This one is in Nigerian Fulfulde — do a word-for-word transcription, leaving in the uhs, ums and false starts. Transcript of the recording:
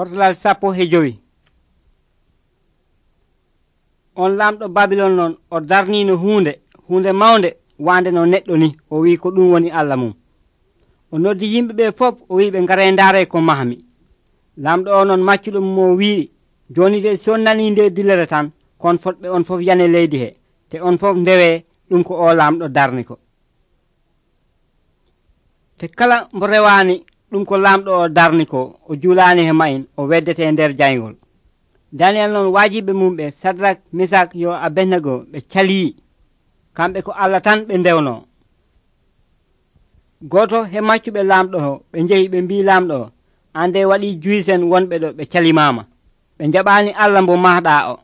Fotalal sappo e jowi. On lamɗo Babilon noon o darniino huunde huunde mawnde wande no neɗɗo ni o wi ko ɗum woni Allah mum. O noddi yimɓe ɓe fof o wi ɓe ngare ndaare ko mahmi. Lamɗo o noon maccuɗo mum o wi joni de si on nani nde dilere tan kon fotɓe on fof yane leydi he te on fof ndewe ɗum ko o lamɗo darni ko. Te kala mbo rewani ɗum ko lamɗo o darni ko o julani he mayin o weddete nder jayngol. Daniel noon waajiɓe mum ɓe Sadrak Misak yo Abednego ɓe calii kamɓe ko Allah tan ɓe ndewno. Goto he maccuɓe lamɗo o ɓe njehi ɓe mbi lamɗo o ande waɗi juyisen wonɓe ɗo ɓe calimama ɓe jaɓani Allah mbo mahɗa o.